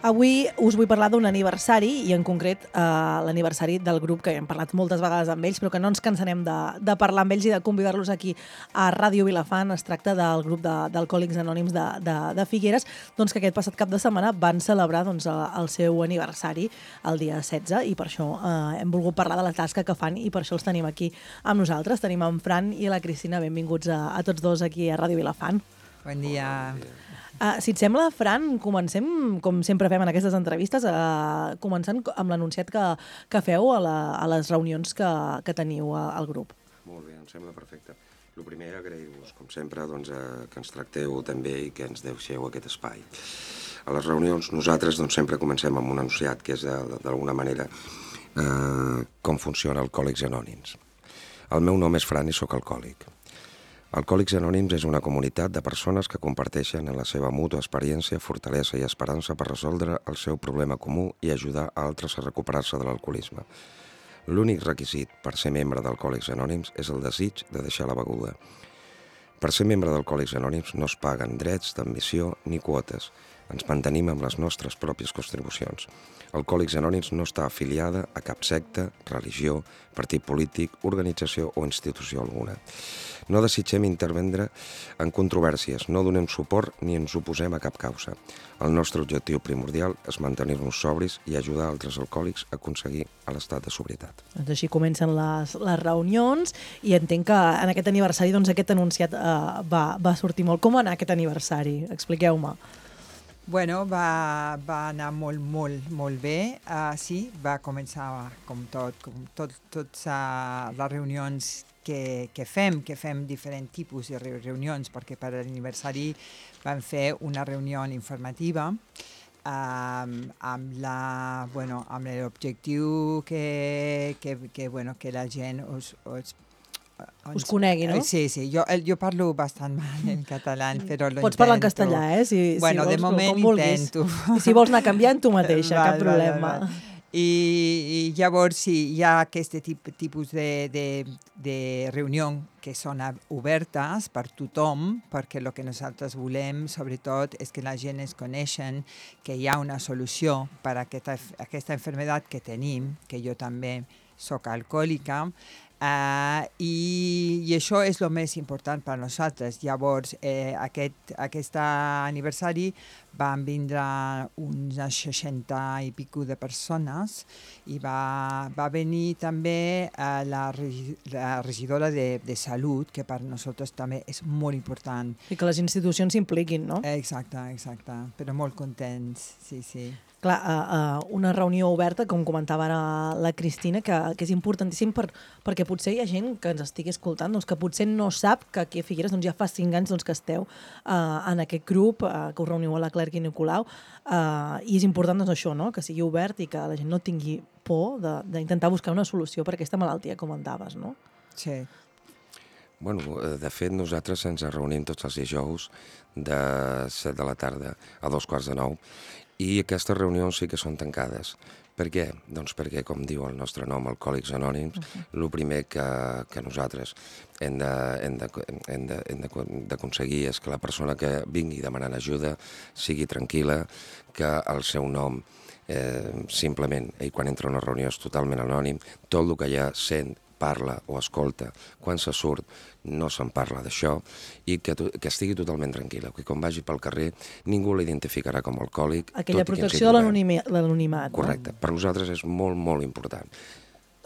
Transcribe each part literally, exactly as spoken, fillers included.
Avui us vull parlar d'un aniversari i en concret eh, l'aniversari del grup que hem parlat moltes vegades amb ells però que no ens cansarem de, de parlar amb ells i de convidar-los aquí a Ràdio Vilafant. Es tracta del grup d'Alcohòlics Anònims de, de, de Figueres, doncs, que aquest passat cap de setmana van celebrar doncs, el seu aniversari el dia setze i per això eh, hem volgut parlar de la tasca que fan i per això els tenim aquí amb nosaltres. Tenim en Fran i la Cristina, benvinguts a, a tots dos aquí a Ràdio Vilafant. Bon dia. Uh, si et sembla, Fran, comencem, com sempre fem en aquestes entrevistes, uh, començant amb l'anunciat que, que feu a, la, a les reunions que, que teniu a, al grup. Molt bé, em sembla perfecte. El primer, agrair-vos, com sempre, doncs, eh, que ens tracteu també i que ens deixeu aquest espai. A les reunions nosaltres doncs, sempre comencem amb un anunciat que és, d'alguna manera, eh, com funciona Alcohòlics Anònims. El meu nom és Fran i sóc alcohòlic. Alcohòlics Anònims és una comunitat de persones que comparteixen en la seva mútua experiència, fortalesa i esperança per resoldre el seu problema comú i ajudar a altres a recuperar-se de l'alcoholisme. L'únic requisit per ser membre d'Alcohòlics Anònims és el desig de deixar la beguda. Per ser membre d'Alcohòlics Anònims no es paguen drets d'admissió ni quotes. Ens mantenim amb les nostres pròpies contribucions. Alcohòlics Anònims no està afiliada a cap secta, religió, partit polític, organització o institució alguna. No desitgem intervendre en controvèrsies, no donem suport ni ens oposem a cap causa. El nostre objectiu primordial és mantenir-nos sobris i ajudar altres alcohòlics a aconseguir l'estat de sobrietat. Doncs així comencen les, les reunions i entenc que en aquest aniversari doncs, aquest anunciat eh, va, va sortir molt. Com va anar aquest aniversari? Expliqueu-me. Bueno, va, va anar molt, molt, molt bé. Uh, sí, va començar com tot, com tot, tots uh, les reunions que, que fem, que fem diferents tipus de reunions, perquè per l'aniversari vam fer una reunió informativa um, amb la, bueno, amb l'objectiu que, que, que, bueno, que la gent us, us Us conegui, no? Sí, sí, jo, jo parlo bastant mal en català, però lo Pots parlar en castellà, eh? Si, bueno, si vols, de moment intento. I si vols anar canviant tu mateixa, val, cap problema. Val, val. I, I llavors sí, hi ha aquest tip, tipus de, de, de reunió que són obertes per tothom, perquè el que nosaltres volem, sobretot, és que la gent es coneixen, que hi ha una solució per a aquesta, aquesta malaltia que tenim, que jo també soc alcohòlica, Uh, i, i això és el més important per a nosaltres. Llavors, eh, aquest, aquest aniversari van vindre uns seixanta i pico de persones i va, va venir també uh, la, la regidora de, de Salut, que per nosaltres també és molt important. I que les institucions s'impliquin, no? Exacte, exacte, però molt contents, sí, sí. Clar, uh, uh, una reunió oberta, com comentava ara la Cristina, que, que és importantíssim per, perquè potser hi ha gent que ens estigui escoltant, doncs, que potser no sap que aquí a Figueres doncs, ja fa cinc anys doncs, que esteu uh, en aquest grup, uh, que us reuniu a la Clerc i Nicolau, uh, i és important doncs, això, no? Que sigui obert i que la gent no tingui por d'intentar buscar una solució per aquesta malaltia, com comentaves, no? Sí. Bueno, de fet, nosaltres ens reunim tots els dijous de set de la tarda a dos quarts de nou i aquestes reunions sí que són tancades. Per què? Doncs perquè, com diu el nostre nom, Alcohòlics Anònims, el uh-huh. primer que, que nosaltres hem d'aconseguir és que la persona que vingui demanant ajuda sigui tranquil·la, que el seu nom eh, simplement, ell quan entra a una reunió és totalment anònim, tot el que ja sent, parla o escolta, quan se surt no se'n parla d'això i que, que estigui totalment tranquil·la, que quan vagi pel carrer ningú l'identificarà com a alcohòlic. Aquella protecció de l'anonimat. Correcte, no? Per nosaltres és molt, molt important.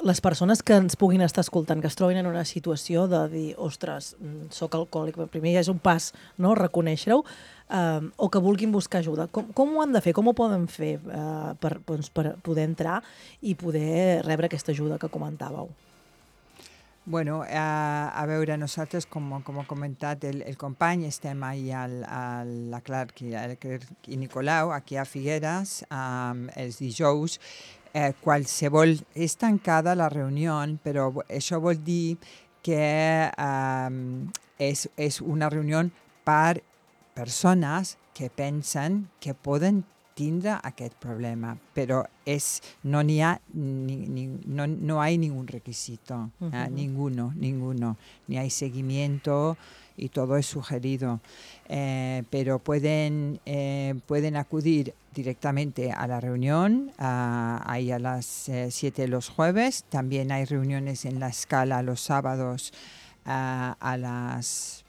Les persones que ens puguin estar escoltant, que es trobin en una situació de dir, ostres, soc alcohòlic, primer ja és un pas, no?, reconèixer-ho, eh, o que vulguin buscar ajuda. Com, com ho han de fer? Com ho poden fer eh, per, doncs, per poder entrar i poder rebre aquesta ajuda que comentàveu? Bueno, a, a veure, nosaltres, com, com ha comentat el, el company, estem ahí al, a la Clerc i, i Nicolau, aquí a Figueres, um, els dijous. Eh, qualsevol, és tancada la reunió, però això vol dir que um, és, és una reunió per persones que pensen que poden tindre aquest problema, però és, no n'hi ha, ni, ni, no, no hay ningún requisito, uh -huh. eh, ninguno, ninguno, ni hay seguimiento y todo es sugerido, eh, pero pueden, eh, pueden acudir directamente a la reunión, uh, ahí a las eh, siete los jueves, también hay reuniones en la Escala los sábados uh, a las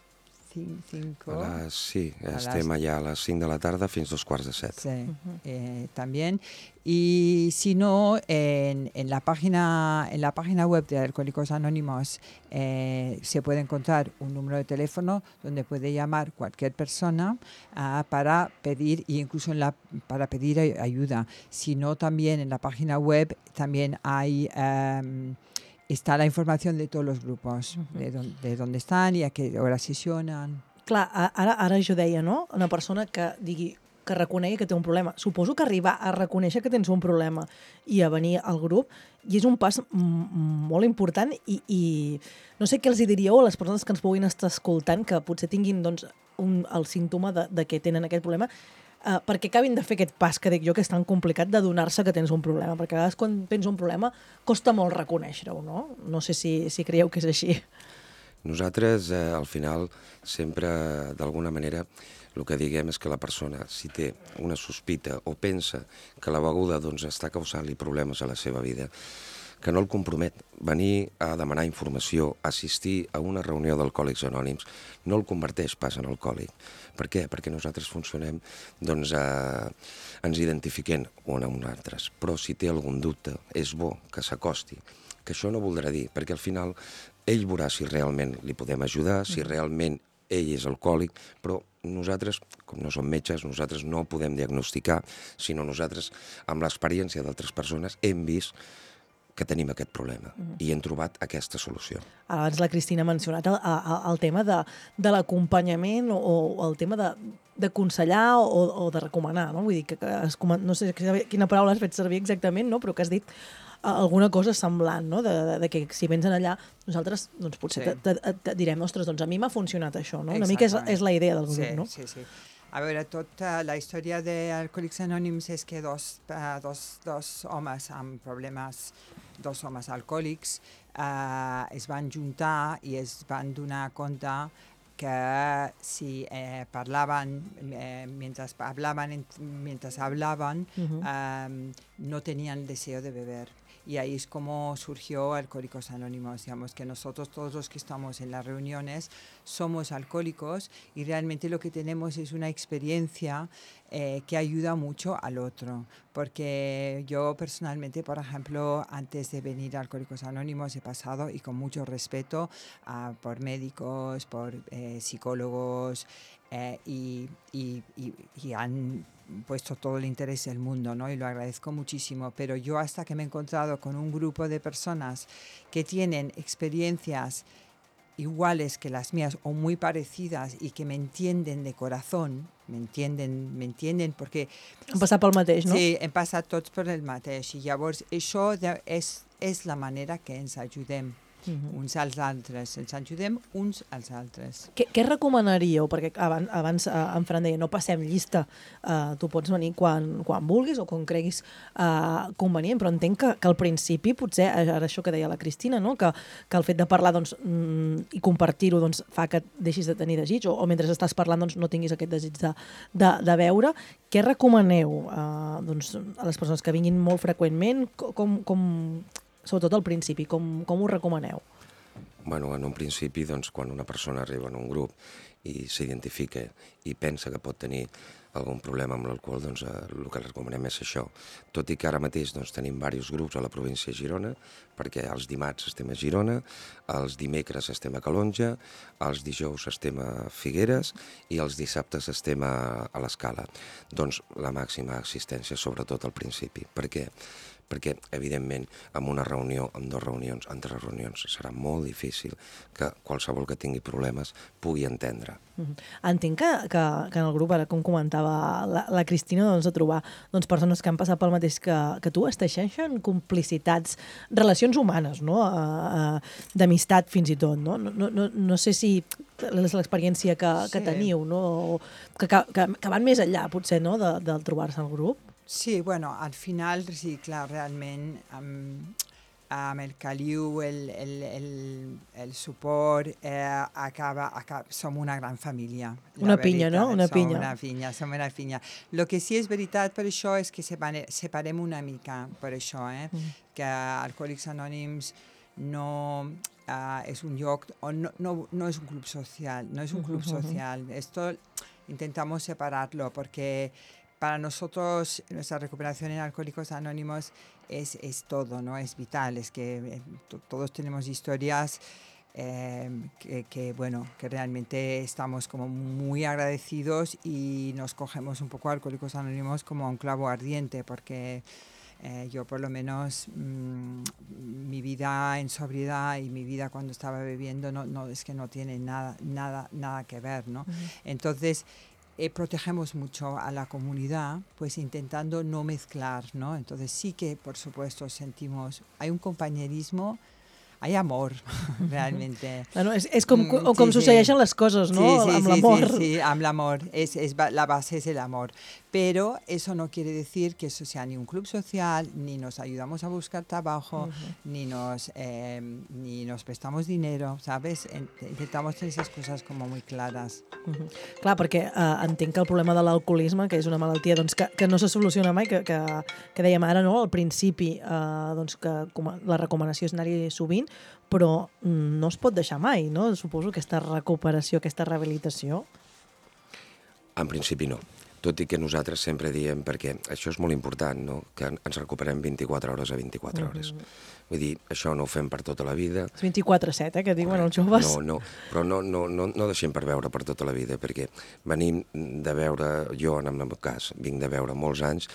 cinco. A les, sí, a estem les... allà a les cinc de la tarda fins dos quarts de set. Sí, uh-huh. eh, también. Y si no, en, en, la página, en la página web de Alcohólicos Anónimos eh, se puede encontrar un número de teléfono donde puede llamar cualquier persona uh, para pedir, e incluso en la, para pedir ayuda. Si no, también en la página web también hay... Um, está la informació de tots els grups, uh-huh. de, don, de dónde estan i a què hora sessionen. Clar, ara, ara jo deia, no?, una persona que digui que reconegui que té un problema. Suposo que arribar a reconèixer que tens un problema i a venir al grup, i és un pas molt important i, i no sé què els diríeu a les persones que ens puguin estar escoltant, que potser tinguin doncs, un, el símptoma de, de que tenen aquest problema, Uh, perquè acabin de fer aquest pas que dic jo, que és tan complicat de donar-se que tens un problema, perquè a vegades quan tens un problema costa molt reconèixer-ho, no? No sé si, si creieu que és així. Nosaltres, eh, al final, sempre, d'alguna manera, el que diguem és que la persona, si té una sospita o pensa que la beguda doncs, està causant-li problemes a la seva vida, que no el compromet. Venir a demanar informació, assistir a una reunió d'alcohòlics anònims, no el converteix pas en alcohòlic. Per què? Perquè nosaltres funcionem, doncs, eh, ens identifiquem un amb altres. Però si té algun dubte, és bo que s'acosti. Que això no voldrà dir, perquè al final ell veurà si realment li podem ajudar, si realment ell és alcohòlic, però nosaltres, com no som metges, nosaltres no podem diagnosticar, sinó nosaltres, amb l'experiència d'altres persones, hem vist que tenim aquest problema mm. i hem trobat aquesta solució. Abans la Cristina ha mencionat el, el, el tema de, de l'acompanyament o, o el tema de d'aconsellar o, o de recomanar, no? Vull dir que, que es, no sé quina paraula has fet servir exactament, no? Però que has dit alguna cosa semblant, no? De, de, de que si vens allà, nosaltres doncs, potser sí. te, te, te direm, ostres, doncs a mi m'ha funcionat això, no? Una mica és, és la idea del grup, sí, no? Sí, sí. A veure, tota la història d'Alcohòlics Anònims és que dos, uh, dos, dos homes amb problemes, dos homes alcohòlics, uh, es van juntar i es van donar compte que si eh, parlaven, eh, mientras hablaban, mientras hablaban, uh-huh. um, no tenían deseo de beber. Y ahí es como surgió Alcohólicos Anónimos, digamos que nosotros todos los que estamos en las reuniones somos alcohólicos y realmente lo que tenemos es una experiencia eh, que ayuda mucho al otro, porque yo personalmente, por ejemplo, antes de venir a Alcohólicos Anónimos he pasado, y con mucho respeto, uh, por médicos, por eh, psicólogos, eh, y, y, y, y han puesto todo el interés del mundo, ¿no? Y lo agradezco muchísimo, pero yo hasta que me he encontrado con un grupo de personas que tienen experiencias iguales que las mías o muy parecidas y que me entienden de corazón, me entienden, me entienden perquè... Hem passat pel mateix, no? Sí, hem passat tots per el mateix i llavors això és, és la manera que ens ajudem. Uh-huh. uns als altres, ens ajudem uns als altres. Què, què recomanaríeu? Perquè abans, abans eh, en Fran deia, no passem llista, uh, tu pots venir quan, quan vulguis o quan creguis uh, convenient, però entenc que, que al principi potser, ara això que deia la Cristina, no? que, que el fet de parlar doncs, mm, i compartir-ho doncs, fa que deixis de tenir desig o, o mentre estàs parlant doncs, no tinguis aquest desig de, de, de veure. Què recomaneu uh, doncs, a les persones que vinguin molt freqüentment? Com... com sobretot al principi, com, com ho recomaneu? Bueno, en un principi, doncs, quan una persona arriba en un grup i s'identifica i pensa que pot tenir algun problema amb l'alcohol, doncs eh, el que recomanem és això. Tot i que ara mateix doncs, tenim diversos grups a la província de Girona, perquè els dimarts estem a Girona, els dimecres estem a Calonja, els dijous estem a Figueres i els dissabtes estem a, a l'Escala. Doncs la màxima assistència, sobretot al principi. Per què? perquè, evidentment, en una reunió, en dues reunions, en tres reunions, serà molt difícil que qualsevol que tingui problemes pugui entendre. Mm-hmm. Entenc que, que, que en el grup, ara com comentava la, la Cristina, doncs, de trobar doncs, persones que han passat pel mateix que, que tu, es teixeixen complicitats, relacions humanes, no? Uh, uh, d'amistat fins i tot. No, no, no, no sé si és l'experiència que, que sí. teniu, no? O que, que, que van més enllà, potser, no? de, de trobar-se al grup. Sí, bueno, al final, sí, clar, realment, amb, amb el caliu, el, el, el, el suport, eh, acaba, acaba, som una gran família. Una pinya, no? Una som pinya. Una pinya, som una pinya. El que sí és veritat per això és que separem una mica per això, eh? Mm. Que Alcohòlics Anònims no uh, és un lloc, on no, no, no és un club social, no es un club social. Esto intentamos separarlo porque para nosotros nuestra recuperación en Alcohólicos Anónimos es, es todo, ¿no? Es vital, es que eh, todos tenemos historias eh, que, que, bueno, que realmente estamos como muy agradecidos y nos cogemos un poco a Alcohólicos Anónimos como un clavo ardiente porque Eh, yo por lo menos mmm, mi vida en sobriedad y mi vida cuando estaba bebiendo no, no es que no tiene nada nada nada que ver, ¿no? Uh-huh. Entonces eh, protegemos mucho a la comunidad, pues intentando no mezclar, ¿no? Entonces sí que por supuesto sentimos, hay un compañerismo, hay amor, realmente. Bueno, és, és com, com, com sí, succeeixen sí. les coses, no? Sí, sí, amb sí, l'amor. Sí, sí, amb l'amor. Es, es, la base es el amor. Pero eso no quiere decir que eso sea ni un club social, ni nos ayudamos a buscar trabajo, uh-huh. ni, nos, eh, ni nos prestamos dinero, ¿sabes? Intentamos tener esas cosas como muy claras. Uh-huh. Clar, perquè eh, entenc que el problema de l'alcoholisme, que és una malaltia doncs, que, que no se soluciona mai, que, que, que dèiem ara, no? Al principi, eh, doncs, que la recomanació és anar-hi sovint, però no es pot deixar mai, no? Suposo aquesta recuperació, aquesta rehabilitació. En principi no. Tot i que nosaltres sempre diem, perquè això és molt important, no? Que ens recuperem vint-i-quatre hores a vint-i-quatre hores. Mm-hmm. Vull dir, això no ho fem per tota la vida. És vint-i-quatre set, eh, que diuen els joves. No, no, però no, no, no, no deixem per veure per tota la vida, perquè venim de veure, jo en el meu cas, vinc de veure molts anys,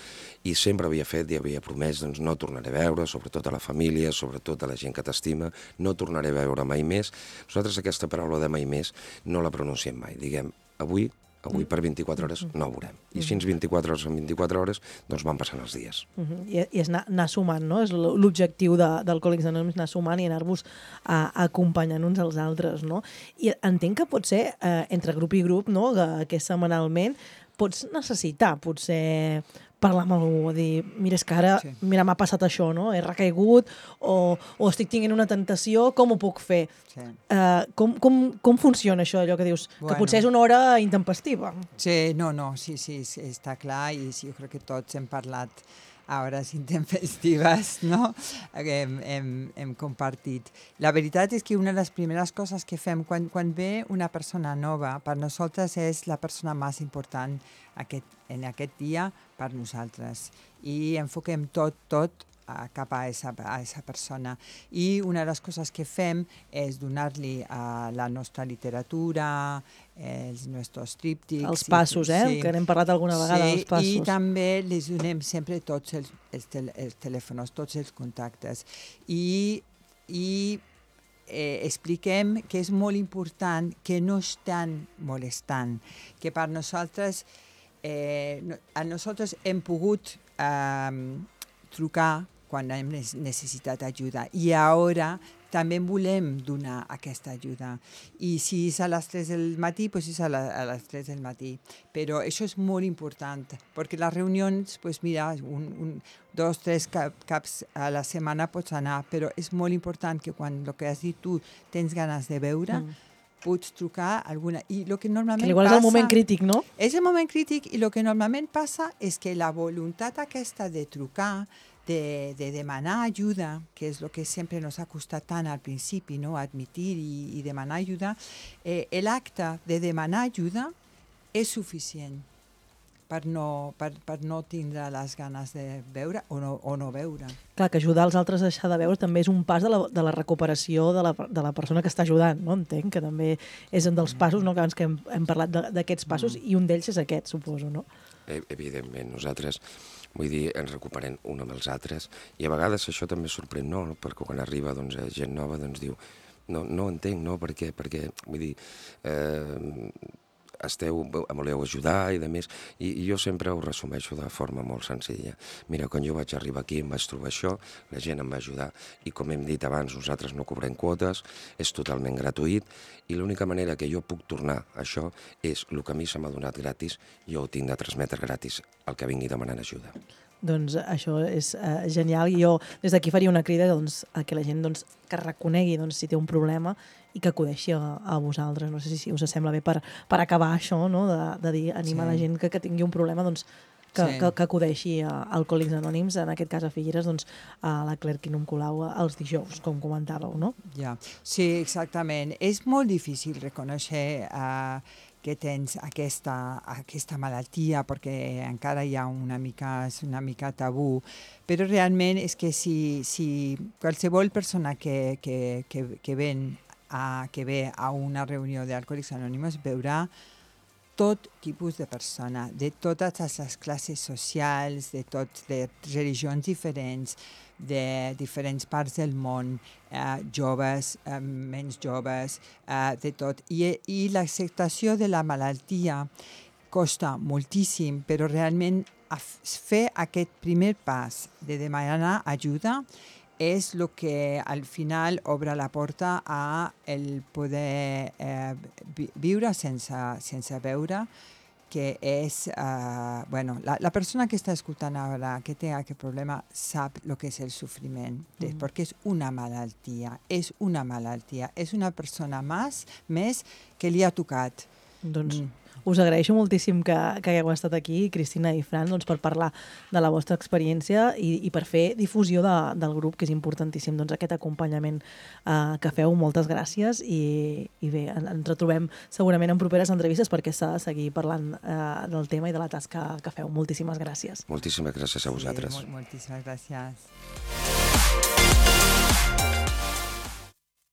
i sempre havia fet i havia promès, doncs no tornaré a veure, sobretot a la família, sobretot a la gent que t'estima, no tornaré a veure mai més. Nosaltres aquesta paraula de mai més no la pronunciem mai. Diguem, avui... Avui per vint-i-quatre hores no ho veurem. I així vint-i-quatre hores en vint-i-quatre hores doncs van passant els dies. Uh-huh. I, I és anar, anar sumant, no? És l'objectiu d'Alcohòlics Anònims, anar sumant i anar-vos uh, acompanyant uns als altres, no? I entenc que potser uh, entre grup i grup, no? Que, que setmanalment pots necessitar potser parlar amb algú, dir, mira, és que ara sí. mira, m'ha passat això, no? He recaigut o, o estic tenint una tentació, com ho puc fer? Sí. Uh, com, com, com funciona això, allò que dius? Bueno. Que potser és una hora intempestiva. Sí, no, no, sí, sí, està clar i sí, jo crec que tots hem parlat a hores intempestives, no? Hem, hem, hem compartit. La veritat és que una de les primeres coses que fem quan, quan ve una persona nova, per nosaltres és la persona més important aquest, en aquest dia per nosaltres. I enfoquem tot, tot a, cap a esa, a esa persona. I una de les coses que fem és donar-li a la nostra literatura, els nostres tríptics. Els passos, eh? Sí. Que n'hem parlat alguna vegada, sí, dels passos. I també les donem sempre tots els, els, tel els telèfons, tots els contactes. I, i eh, expliquem que és molt important que no estan molestant, que per nosaltres, eh, no, a nosaltres hem pogut eh, trucar quan hem necessitat ajuda i ara també volem donar aquesta ajuda. I si és a les tres del matí, doncs és a, la, a les tres del matí. Però això és molt important, perquè les reunions, doncs mira, un, un, dos, tres cap, caps a la setmana pots anar, però és molt important que quan, el que has dit tu, tens ganes de veure, mm. pots trucar alguna... I lo que normalment que igual passa, és el moment crític, no? És el moment crític i el que normalment passa és que la voluntat aquesta de trucar, De, de demanar ajuda, que és el que sempre nos ha costat tant al principi, no? Admitir i, i demanar ajuda, eh, l'acte de demanar ajuda és suficient per no, per, per no tindre les ganes de veure o no, o no veure. Clar, que ajudar els altres a deixar de veure també és un pas de la, de la recuperació de la, de la persona que està ajudant, no? Entenc que també és un dels passos, no? Que abans que hem, hem parlat d'aquests passos, mm. i un d'ells és aquest, suposo, no? Evidentment, nosaltres vull dir, ens recuperem un amb els altres, i a vegades això també sorprèn, no? Perquè quan arriba doncs, gent nova doncs diu, no, no entenc, no? Per què? Perquè, vull dir, eh, esteu, em voleu ajudar i de més, i, i jo sempre ho resumeixo de forma molt senzilla. Mira, quan jo vaig arribar aquí em vaig trobar això, la gent em va ajudar, i com hem dit abans, nosaltres no cobrem quotes, és totalment gratuït, i l'única manera que jo puc tornar a això és el que a mi se m'ha donat gratis, jo ho tinc de transmetre gratis al que vingui demanant ajuda. Doncs això és uh, genial, i jo des d'aquí faria una crida doncs, a que la gent doncs, que reconegui doncs, si té un problema i que acudeixi a, a vosaltres. No sé si us sembla bé per, per acabar això, no? de, de dir, animar sí. la gent que, que tingui un problema doncs, que, sí. que, que acudeixi a Alcohòlics Anònims, en aquest cas a Figueres, doncs, a la Claire Quinum Colau els dijous, com comentàveu, no? Ja. Sí, exactament. És molt difícil reconèixer uh, que tens aquesta, aquesta malaltia, perquè encara hi ha una mica, és una mica tabú, però realment és que si, si qualsevol persona que, que, que, que, ven a, que ve a una reunió d'Alcohòlics Anònims veurà tot tipus de persona, de totes les classes socials, de tots, de religions diferents, de diferents parts del món, eh, joves, eh, menys joves, eh, de tot. I, i l'acceptació de la malaltia costa moltíssim, però realment fer aquest primer pas de demanar ajuda és el que al final obre la porta a el poder eh, viure sense, sense veure, que és, uh, bueno, la, la persona que està escoltant ara, que té aquest problema, sap el que és el sofriment, mm. perquè és una malaltia, és una malaltia, és una persona més, més que li ha tocat. Doncs mm. us agraeixo moltíssim que, que hagueu estat aquí, Cristina i Fran, doncs, per parlar de la vostra experiència i, i per fer difusió de, del grup, que és importantíssim, doncs, aquest acompanyament eh, que feu. Moltes gràcies i, i bé, en, ens retrobem segurament en properes entrevistes perquè s'ha de seguir parlant eh, del tema i de la tasca que feu. Moltíssimes gràcies. Moltíssimes gràcies a vosaltres. Sí, molt, moltíssimes gràcies.